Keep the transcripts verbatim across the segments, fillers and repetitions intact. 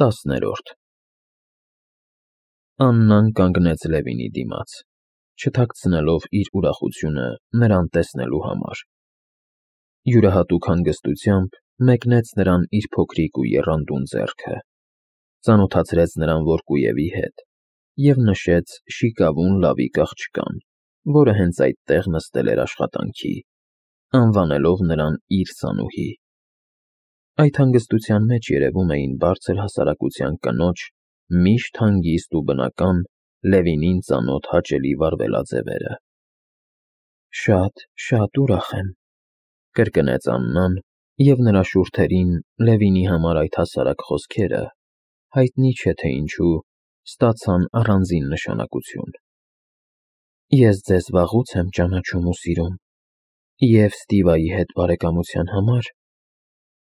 Տասներորդ Աննան կանգնեց Լևինի դիմաց, չթաքցնելով իր ուրախությունը նրան տեսնելու համար. յուրահատուկ հանգստությամբ մեկնեց նրան իր փոքրիկ ու եռանդուն ձեռքը, ծանոթացրեց նրան որդկույևի հետ և նշեց շիկավուն լավիկ աղջկան, որը հենց այդտեղ նստել էր աշխատանքի, անվանելով նրան իր սանուհի. այդ հանգստության մեջ երևում էին բարձր հասարակության կնոջ միշտ հանգիստ ու բնական, Լևինին ծանոթ հաճելի վարվելաձևերը։ Շատ, շատ ուրախ եմ, կրկնեց Աննան, և նրա շուրթերին Լևինի համար այդ հասարակ խոսքերը, հայտնի չէ թե ինչու, ստացան առանձին նշանակություն։ Ես ձեզ վաղուց եմ ճանաչում ու սիրում, և Ստիվայի հետ բարեկամության համար,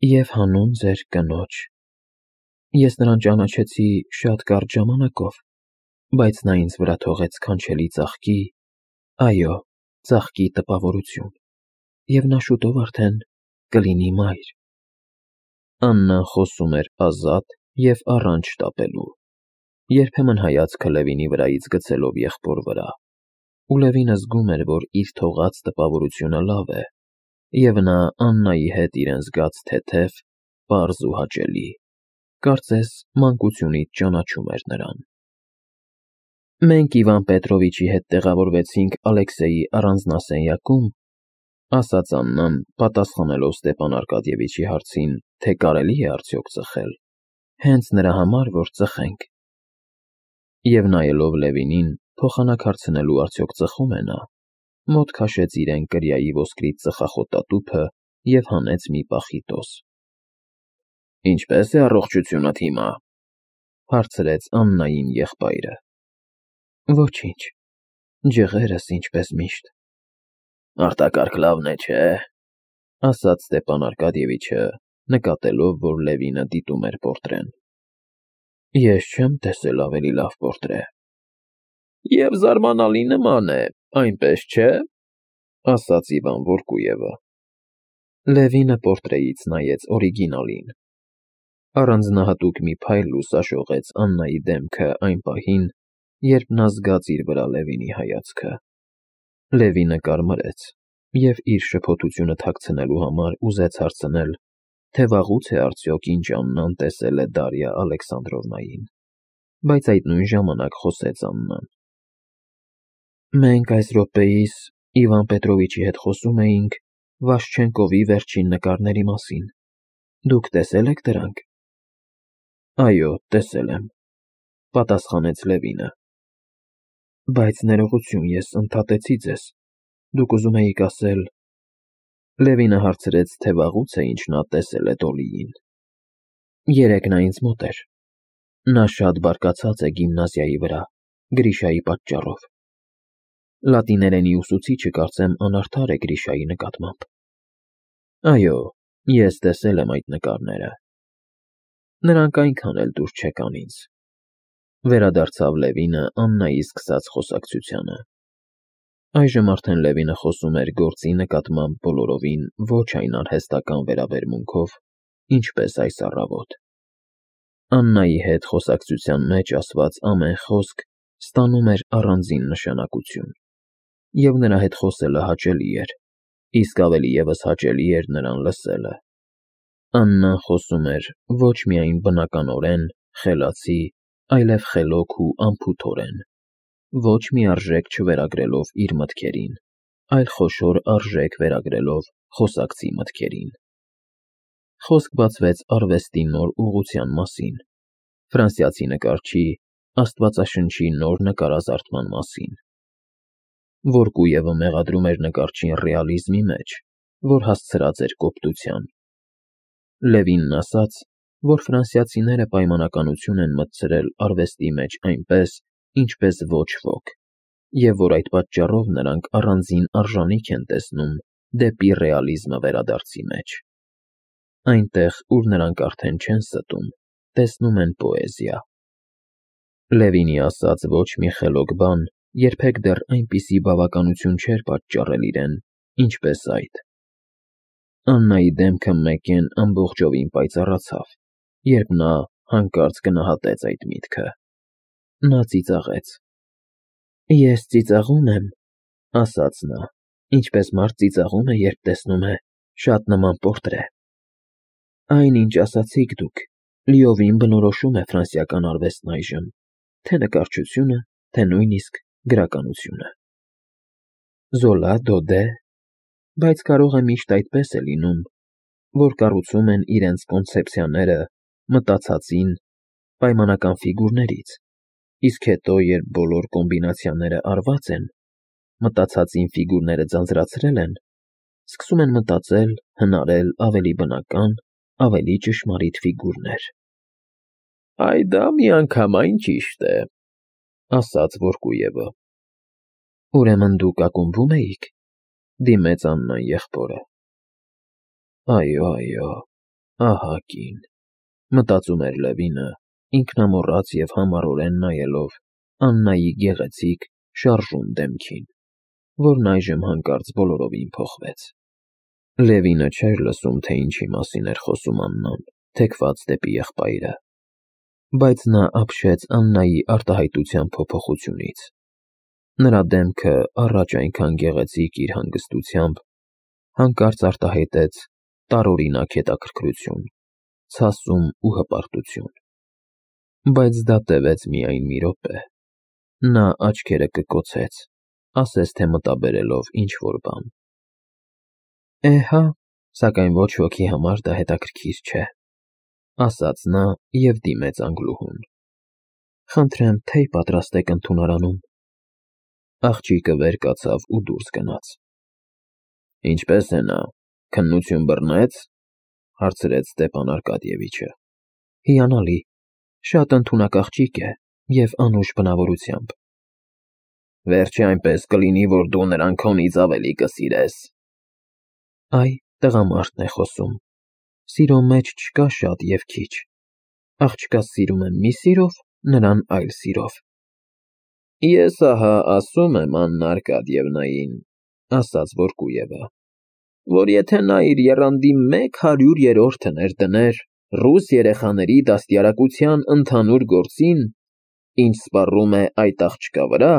և հանուն ձեր կնոջ։ Ես նրան ճանաչեցի շատ կարճ ժամանակով, բայց նա ինձ վրա թողեց քանչելի ծաղկի, այո, ծաղկի տպավորություն, և նա շուտով արդեն կլինի մայր։ Աննան խոսում էր ազատ և առանց շտապելու, երբեմն հայացքը Լևինի վրայից գցելով եղբոր վրա, ու Լևինը զգում էր, որ իր թողած տպավորությունը լավ է, և նա Աննայի հետ իրեն զգաց թեթև, պարզ ու հաճելի, կարծես մանկությունից ճանաչում էր նրան։ Մենք Իվան Պետրովիչի հետ տեղավորվեցինք Ալեքսեյի առանձնասենյակում, ասաց Աննան, պատասխանելով Ստեփան Արկադիևիչի հարցին, թե կարելի է արդյոք ծխել, հենց նրա համար, որ ծխենք։ Եվ նայելով Լևինին, փոխանակ հարցնելու արդյոք ծխում է նա, մոտ քաշեց իրեն կրիայի ոսկրից ծխախոտատուփը և հանեց մի պախիտոս։ Ինչպե՞ս է առողջությունդ հիմա, հարցրեց Աննային եղբայրը։ Ոչինչ, ջղերս ինչպես միշտ։ Արտակարգ լավն է, չէ՞, ասաց Ստեփան Արկադիևիչը, նկատելով, որ Լևինը դիտում էր պորտրեն։ Ես չեմ տեսել ավելի լավ պորտրե։ Եվ զարմանալի նման է, այնպես չէ՞, ասաց Իվան Վորկուևը։ Լևինը պորտրեից նայեց օրիգինալին։ Առանձնահատուկ մի փայլ լուսաշողեց Աննայի դեմքը այն պահին, երբ նա զգաց իր վրա Լևինի հայացքը։ Լևինը կարմրեց և իր շփոթությունը թաքցնելու համար ուզեց հարցնել, թե վաղուց է արդյոք ինչ Աննան տեսել է Դարիա Ալեքսանդրովնային, բայց այդ նույն ժամանակ խոսեց Աննան. Մենք այս րոպեիս Իվան Պետրովիչի հետ խոսում էինք Վաշչենկովի վերջին նկարների մասին։ Դուք տեսել եք դրանք։ Այո, տեսել եմ, պատասխանեց Լևինը։ Բայց ներողություն, ես ընդհատեցի ձեզ, դուք ուզում էիք ասել… Լևինը հարցրեց, թե վաղուց է ինչ նա տեսել է Դոլիին։ Երեկ նա ինձ մոտ էր։ Նա շատ բարկացած է գիմնազիայի վրա, Գրիշայի պատճառով։ Լատիներենի ուսուցիչը կարծեմ անարդար է Գրիշայի նկատմամբ։ Այո, ես տեսել եմ այդ նկարները։ Նրանք այնքան էլ դուր չեկան ինձ։ Վերադարձավ Լևինը Աննայի սկսած խոսակցությանը։ Այժմ արդեն Լևինը խոսում էր գործի նկատմամբ բոլորովին ոչ այն արհեստական վերաբերմունքով, ինչպես այս առավոտ։ Աննայի հետ խոսակցության մեջ ասված ամեն խոսք ստանում էր առանձին նշանակություն, և նրա հետ խոսելը հաճելի էր, իսկ ավելի ևս հաճելի էր նրան լսելը։ Աննան խոսում էր ոչ միայն բնականորեն, խելացի, այլև խելոք ու անփութորեն, ոչ մի արժեք չվերագրելով իր մտքերին, այլ խոշոր արժեք վերագրելով խոսակցի մտքերին։ Խոսք բացվեց արվեստի նոր ուղղության մասին, ֆրանսիացի նկարչի Աստվածաշնչի նոր նկարազարդման մասին։ Վորկուևը մեղադրում էր նկարչին ռեալիզմի մեջ, որ հասցրած էր կոպտության։ Լևինն ասաց, որ ֆրանսիացիները պայմանականություն են մտցրել արվեստի մեջ այնպես, ինչպես ոչ ոք, և որ այդ պատճառով նրանք առանձին արժանիք են տեսնում դեպի ռեալիզմը վերադարձի մեջ։ Այնտեղ, ուր նրանք արդեն չեն ստում, տեսնում են պոեզիա։ Լևինի ասած ոչ մի խելոք բան երբեք դեռ այնպիսի բավականություն չէր պատճառել իրեն, ինչպես այդ։ Աննայի դեմքը մեկեն ամբողջովին պայծառացավ, երբ նա Հանկարծ գնահատեց այդ միտքը։ Նա ծիծաղեց։ Ես ծիծաղում եմ, ասաց նա, ինչպես մարդ ծիծաղում է, երբ տեսնում է շատ նման պորտրե։ Այն, ինչ ասացիք դուք, լիովին բնորոշում է ֆրանսիական արվեստն այժմ, թե նկարչությունը, թե նույնիսկ գրականությունը։ Զոլա, Դոդե, բայց կարող է միշտ այդպես է լինում, որ կառուցում են իրենց կոնցեպցիաները մտածածին պայմանական ֆիգուրներից, իսկ հետո, երբ բոլոր կոմբինացիաները արված են, մտածածին ֆիգուրները ձանձրացրել են, սկսում են մտածել, հնարել ավելի բնական, ավելի ճշմարիտ ֆիգուրներ։ Այ դա միանգամայն ճիշտ է, ասաց Որկուևը։ Ուրեմն դուք ակումբում էիք, դիմեց Աննան եղբորը։ Այո, այո, ահա կին, մտածում էր Լևինը, ինքնամոռաց և համառորեն նայելով Աննայի գեղեցիկ, շարժուն դեմքին, որն այժմ հանկարծ բոլորովին փոխվեց։ Լևինը չէր լսում, թե ինչի մասին էր խոսում Աննան, թեքված դեպի եղբայրը, բայց նա ապշեց Աննայի արտահայտության փոփոխությունից։ Նրա դեմքը, առաջ այնքան գեղեցիկ իր հանգստությամբ, հանկարծ արտահայտեց տարօրինակ հետաքրքրություն, ցասում ու հպարտություն։ Բայց դա տևեց միայն մի րոպե։ Նա աչքերը կկոցեց, ասես թե մտաբերելով ինչ-որ բան։ Էհա, սակայն ոչ ոքի համար դա հետաքրքիր չէ, ասաց նա և դիմեց Անգլուհուն։ Խնդրեմ, թեյ պատրաստեք ընդունարանում։ Աղջիկը վեր կացավ ու դուրս գնաց։ Ինչպե՞ս է նա, քննություն բռնեց, հարցրեց Ստեփան Արկադիևիչը։ Հիանալի, շատ ընդունակ աղջիկ է և անուշ բնավորությամբ։ Վերջը այնպես կլինի, որ դու նրան քոնից ավելի կսիրես։ Այ, տղամարդն է խոսում։ Սիրո մեջ չկա շատ և քիչ։ Աղջկաս սիրում եմ մի սիրով, նրան այլ սիրով։ Ես ահա ասում եմ Աննա Արկադիևնային, ասաց Որկուևը, որ եթե նա իր եռանդի մեկ հարյուրերորդը ներդներ ռուս երեխաների դաստիարակության ընդհանուր գործին, ինչ սպառում է այդ աղջկա վրա,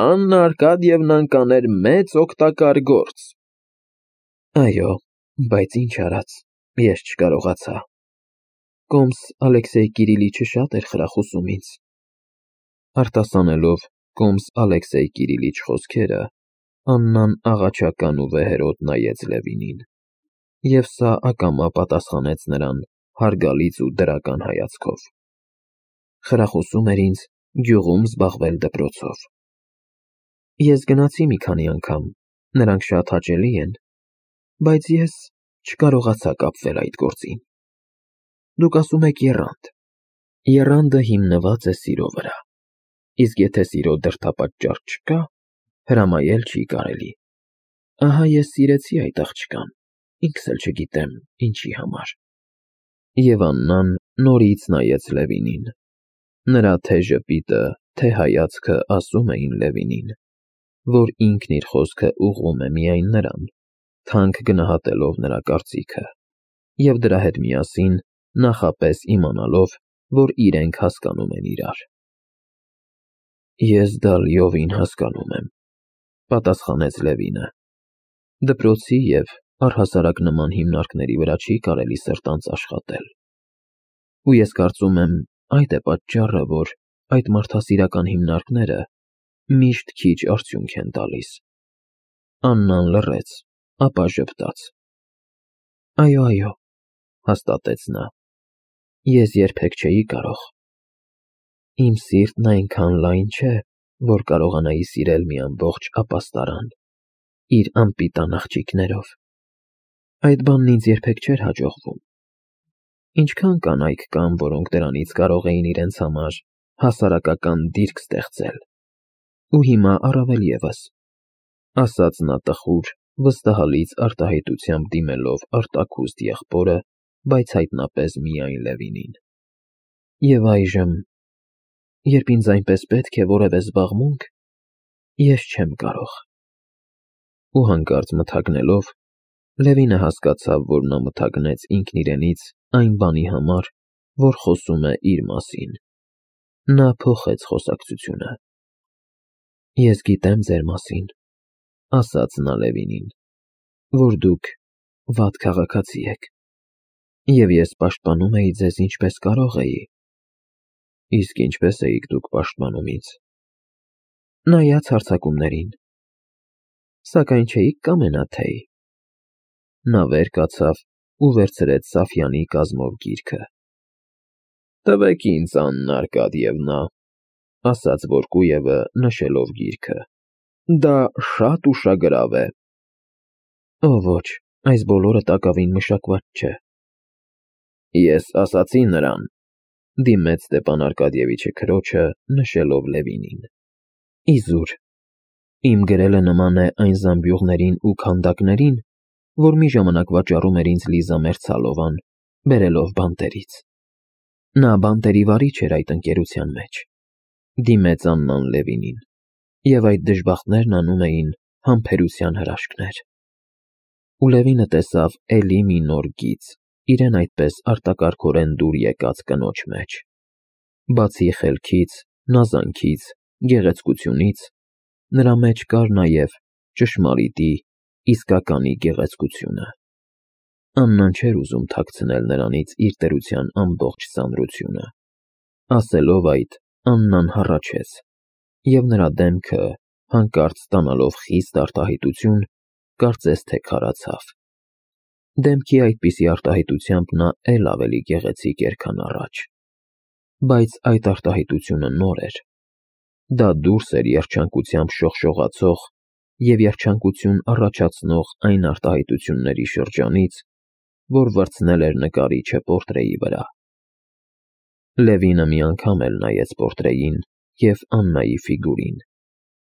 Աննա Արկադիևնան կաներ մեծ օգտակար գործ։ Այո, բայց ինչ արած, ես չկարողացա։ Կոմս Ալեքսեյ Կիրիլիչը շատ էր խրախուսում ինձ։ Արտասանելով Կոմս Ալեքսեյ Կիրիլիչ խոսքերը, Աննան աղաչական ու վեհերոտ նայեց Լևինին, և սա ակամա պատասխանեց նրան հարգալից ու դրական հայացքով։ Խրախուսում էր ինձ գյուղում զբաղվել դպրոցով։ Ես գնացի մի քանի անգամ, նրանք շատ հաճելի են, բայց ես չկարողացա կապվել այդ գործին։ Դուք ասում եք եռանդ։ Եռանդը հիմնված է սիրո վրա, իսկ եթե սիրո դրդապատճառ չկա, հրամայել չի կարելի։ Ահա ես սիրեցի այդ աղջկան, ինքս էլ չգիտեմ ինչի համար։ Եվ Աննան նորից նայեց Լևինին։ Նրա թե ժպիտը, թե հայացքը ասում էին Լևինին, որ ինքն իր խոսքը ուղղում է միայն նրան, թանկ գնահատելով նրա կարծիքը, և դրա հետ միասին նախապես իմանալով, որ իրենք հասկանում են իրար։ Ես դա լիովին հասկանում եմ, պատասխանեց Լևինը։ Դպրոցի և առհասարակ նման հիմնարկների վրա չի կարելի սրտանց աշխատել։ Ու ես կարծում եմ, այդ է պատճառը, որ այդ մարդասիրական հիմնարկները միշտ քիչ արդյունք են տալիս։ Աննան լռեց, ապա ժպտաց։ Այո, այո, հաստատեց նա, ես երբեք չէի կարող։ Իմ սիրտն այնքան լայն չէ, որ կարողանայի սիրել մի ամբողջ ապաստարան, իր անպիտան աղջիկներով։ Այդ բանն ինձ երբեք չէր հաջողվում։ Ինչքան կանայք կան, որոնք դրանից կարող էին իրենց համար հասարակական դիրք ստեղծել։ Ու հիմա առավել ևս, ասաց նա տխուր, վստահալից արտահայտությամբ դիմելով արտաքուստ եղբորը, բայց հայտնապես միայն Լևինին։ Եվ այժմ, երբ ինձ այնպես պետք է որևէ զբաղմունք, ես չեմ կարող։ Ու հանկարծ մթագնելով, Լևինը հասկացավ, որ նա մթագնեց ինքն իրենից այն բանի համար, որ խոսում է իր մասին։ Նա փոխեց խոսակցությունը։ Ես գիտեմ ձեր մասին, ասաց նա Լևինին, որ դուք վատ քաղաքացի եք, և ես պաշտպանում էի ձեզ ինչպես կարող էի։ Իսկ ինչպես էիք դուք պաշտպանում ինձ։ Նայած հարձակումներին, սակայն չէիք կամենա թեյ։ Նա վեր կացավ ու վերցրեց Սաֆյանի կազմով գիրքը։ Տվեք ինձ, Աննա Արկադիևնա, ասաց Վորկուևը նշելով գիրքը։ Դա շատ ուշագրավ է։ Օ ոչ, այս բոլորը տակավին մշակված չէ։ Ես ասացի նրան, դիմեց Ստեփան Արկադիևիչը քրոջը, նշելով Լևինին։ Իզուր, իմ գրելը նման է այն զամբյուղներին ու քանդակներին, որ մի ժամանակ վաճառում էր ինձ Լիզա Մերցալովան, բերելով բանտերից։ Նա բանտերի վարիչ էր այդ ընկերության մեջ, դիմեց Աննան Լևինին, և այդ դժբախտներն անում էին համբերության հրաշքներ։ Ու Լևինը տեսավ էլի մի նոր գիծ, իրեն այդպես արտակարգորեն դուր եկած կնոջ մեջ։ Բացի խելքից, նազանքից, գեղեցկությունից, նրա մեջ կար նաև ճշմարիտի, իսկականի գեղեցկությունը։ Աննան չէր ուզում թաքցնել նրանից իր տերության ամբողջ ծանրությունը։ Ասելով այդ, Աննան հառաչեց, և նրա դեմքը, հանկարծ ստանալով խիստ արտահայտություն, կարծես թե քարացավ։ Դեմքի այդպիսի արտահայտությամբ նա էլ ավելի գեղեցիկ էր, քան առաջ։ Բայց այդ արտահայտությունը նոր էր։ Դա դուրս էր երջանկությամբ շողշողացող և երջանկություն առաջացնող այն արտահայտությունների շրջանից, որ վրձնել էր նկարիչը պորտրեի վրա։ Լևինը մի անգամ էլ նայեց պորտրեին և Աննայի ֆիգուրին,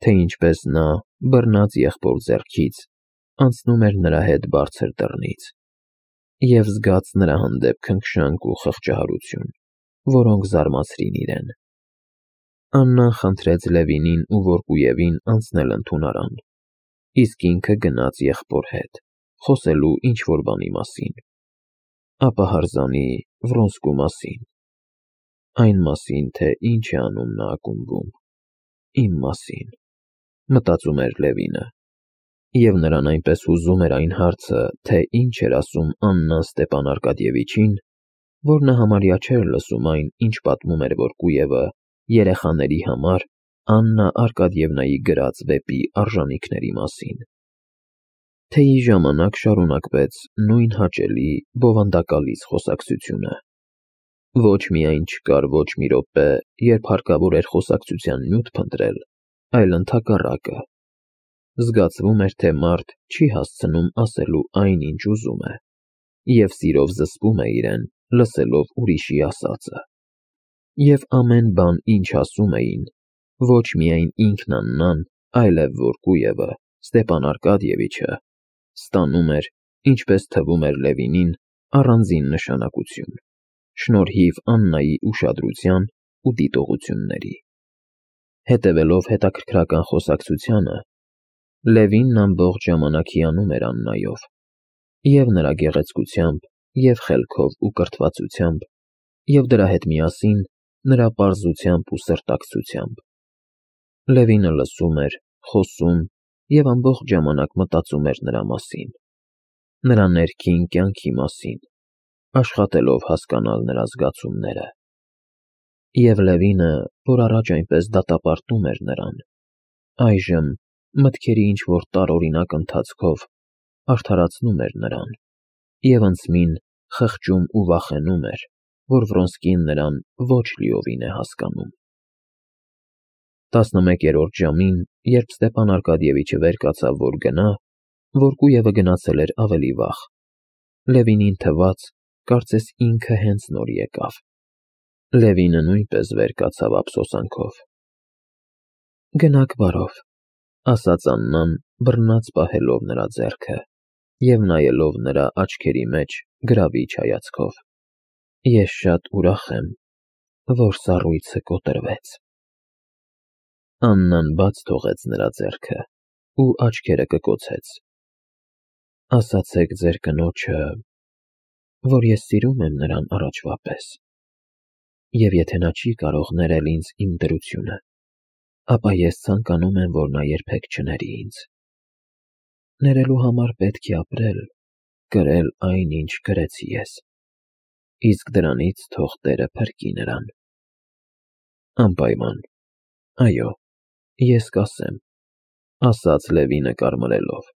թե ինչպես նա, բռնած եղբոր ձեռքից, անցնում էր նրա հետ բարձր դռնից, և զգաց նրա հանդեպ քնքշանք ու խղճահարություն, որոնք զարմացրին իրեն։ Աննան խնդրեց Լևինին ու Վորկուևին անցնել ընդունարան, իսկ ինքը գնաց եղբոր հետ, խոսելու ինչ-որ բանի մասին, ապա հրզանի Վրոնսկու մասին, այն մասին, թե ինչ է անում նա ակումբում, իմ մասին, մտածում էր Լևինը, և նրան այնպես հուզում էր այն հարցը, թե ինչ էր ասում Աննան Ստեփան Արկադիևիչին, որ նա համարյա չէր լսում այն, ինչ պատմում էր Վորկուևը երեխաների համար Աննա Արկադիևնայի գրած վեպի արժանիքների մասին։ Թեյի ժամանակ շարունակվեց նույն հաճելի, բովանդակալից խոսակցությունը։ Ոչ միայն չկար ոչ մի րոպե, երբ հարկավոր էր խոսակցության նյութ փնտրել, այլ ընդհակառակը։ Զգացվում էր, թե մարդ չի հասցնում ասելու այն, ինչ ուզում է, և սիրով զսպում է իրեն, լսելով ուրիշի ասածը։ Եվ ամեն բան, ինչ ասում էին, ոչ միայն ինքն Աննան, այլև Վորկուևը, Ստեփան Արկադիևիչը, ստանում էր, ինչպես թվում էր Լևինին, առանձին նշանակություն, շնորհիվ Աննայի ուշադրության ու դիտողությունների։ Հետևելով հետաքրքրական խոսակցությանը, Լևինն ամբողջ ժամանակ հիանում էր Աննայով, և նրա գեղեցկությամբ, և խելքով ու կրթվածությամբ, և դրա հետ միասին նրա պարզությամբ ու սրտակցությամբ։ Լևինը լսում էր, խոսում և ամբողջ ժամանակ մտածում էր նրա մասին, նրա ներքին կյանքի մասին, աշխատելով հասկանալ նրա զգացումները։ Եվ Լևինը, որ առաջ այնպես դատապարտում էր նրան, այժմ, մտքերի ինչ-որ տարօրինակ ընթացքով, արդարացնում էր նրան, և անցմին խղճում ու վախենում էր, որ Վրոնսկին նրան ոչ լիովին է հասկանում։ Տասնմեկերորդ ժամին, երբ Ստեփան Արկադիևիչը վեր կացավ, որ գնա, Վորկուևը գնացել էր ավելի վաղ։ Լևինին թվաց, կարծես ինքը հենց նոր եկավ։ Լևինը նույնպես վեր կացավ ափսոսանքով։ Գնաք բարով, ասաց Աննան, բռնած պահելով նրա ձեռքը և նայելով նրա աչքերի մեջ գրավիչ հայացքով։ Ես շատ ուրախ եմ, որ սառույցը կոտրվեց։ Աննան բաց թողեց նրա ձեռքը ու աչքերը կկոցեց։ Ասացեք ձեր կնոջը, որ ես սիրում եմ նրան առաջվա պես։ Եվ եթե նա չի կարող ներել ինձ իմ դրությունը, ապա ես ցանկանում եմ, որ նա երբեք չների ինձ։ Ներելու համար պետք է ապրել, կրել այն, ինչ կրեցի ես, իսկ դրանից թող Տերը փրկի նրան։ Անպայման, այո, ես կասեմ, ասաց Լևինը կարմրելով։